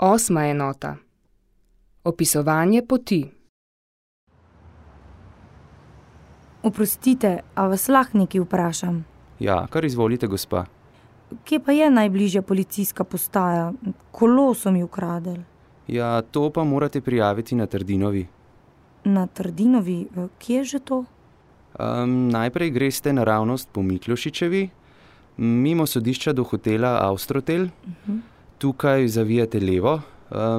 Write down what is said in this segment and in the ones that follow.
Osma enota. Opisovanje poti. Oprostite, a vas lahko nekaj vprašam? Ja, kar izvolite, gospa. Kje pa je najbližja policijska postaja? Kolo so mi ukradli. Ja, to pa morate prijaviti na Trdinovi. Na Trdinovi? Kje je že to? Najprej greste naravnost po Miklošičevi, mimo sodišča do hotela Austrotel. Tukaj zavijate levo,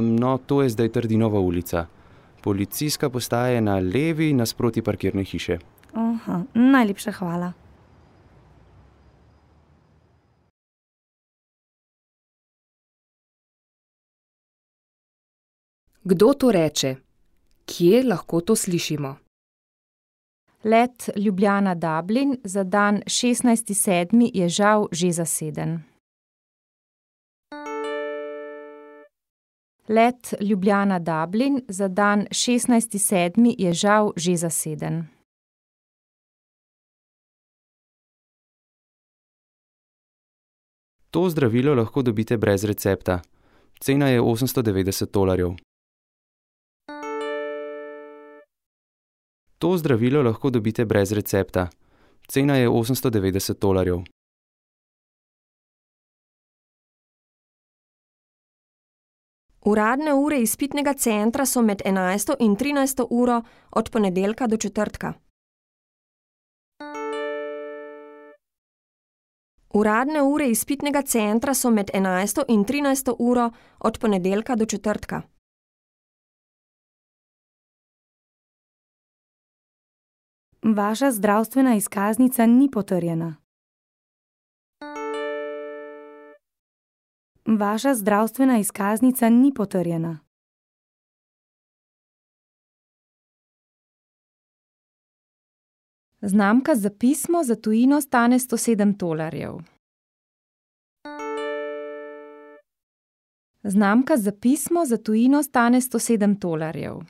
no to je zdaj Trdinova ulica. Policijska postaja je na levi nasproti parkirne hiše. Aha, najlepša hvala. Kdo to reče? Kje lahko to slišimo? Let Ljubljana-Dublin za dan 16.7. je žal že zaseden. Let Ljubljana-Dublin za dan 16.7. je žal že zaseden. To zdravilo lahko dobite brez recepta. Cena je $890. To zdravilo lahko dobite brez recepta. Cena je $890. Uradne ure izpitnega centra so med 11. in 13. uro od ponedeljka do četrtka. Uradne ure izpitnega centra so med 11. in 13. uro od ponedeljka do četrtka. Vaša zdravstvena izkaznica ni potrjena. Vaša zdravstvena izkaznica ni potrjena. Znamka za pismo za tujino stane $107. Znamka za pismo za tujino stane $107.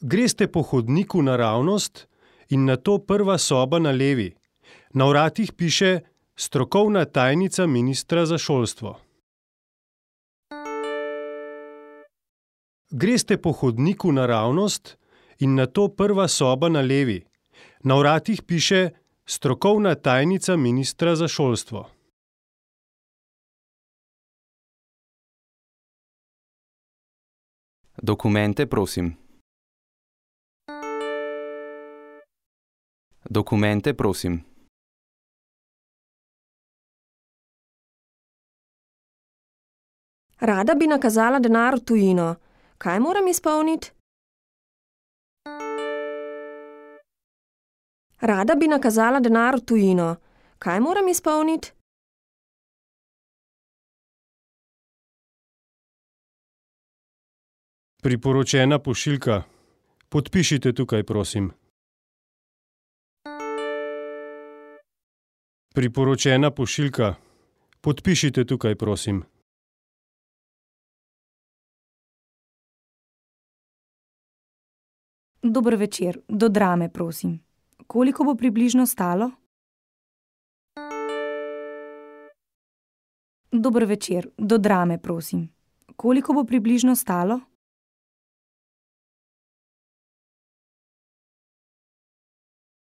Greste po hodniku naravnost in nato prva soba na levi. Na vratih piše strokovna tajnica ministra za šolstvo. Greste po hodniku naravnost in nato prva soba na levi. Na vratih piše strokovna tajnica ministra za šolstvo. Dokumente, prosim. Dokumente, prosim. Rada bi nakazala denar v tujino. Kaj moram izpolniti? Rada bi nakazala denar v tujino. Kaj moram izpolniti? Priporočena pošiljka. Podpišite tukaj, prosim. Priporočena pošiljka. Podpišite tukaj, prosim. Dober večer, do Drame, prosim. Koliko bo približno stalo? Dober večer, do Drame, prosim. Koliko bo približno stalo?